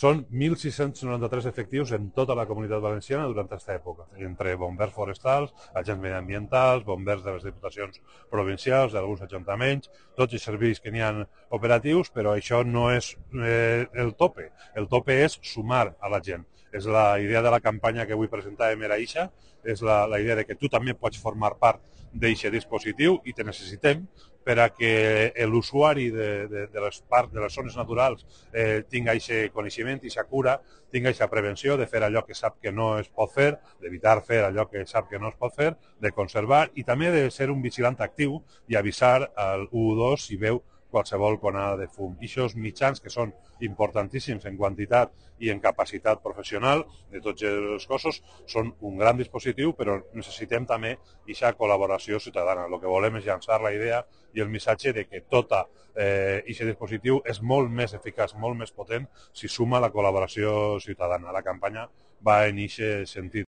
Són 1.693 efectius en tota la comunitat valenciana durant aquesta època, entre bombers forestals, agents mediambientals, bombers de les diputacions provincials, d'alguns ajuntaments, tots els serveis que n'hi ha operatius, però això no és el tope. El tope és sumar a la gent. És la idea de la campanya que avui presentàvem era eixa, és la idea de que tu també pots formar part d'aquest dispositiu i te necessitem per a que l'usuari de les zones naturals tingui aquest coneixement, aquesta cura, tingui aquesta prevenció de fer allò que sap que no es pot fer, d'evitar fer allò que sap que no es pot fer, de conservar i també de ser un vigilant actiu i avisar al 112 si veu qualsevol conada de fum. I aquests mitjans que són importantíssims en quantitat i en capacitat professional de tots els cossos són un gran dispositiu, però necessitem també aquesta col·laboració ciutadana. El que volem és llançar la idea i el missatge de que tot aquest dispositiu és molt més eficaç, molt més potent si suma la col·laboració ciutadana. La campanya va en aquest sentit.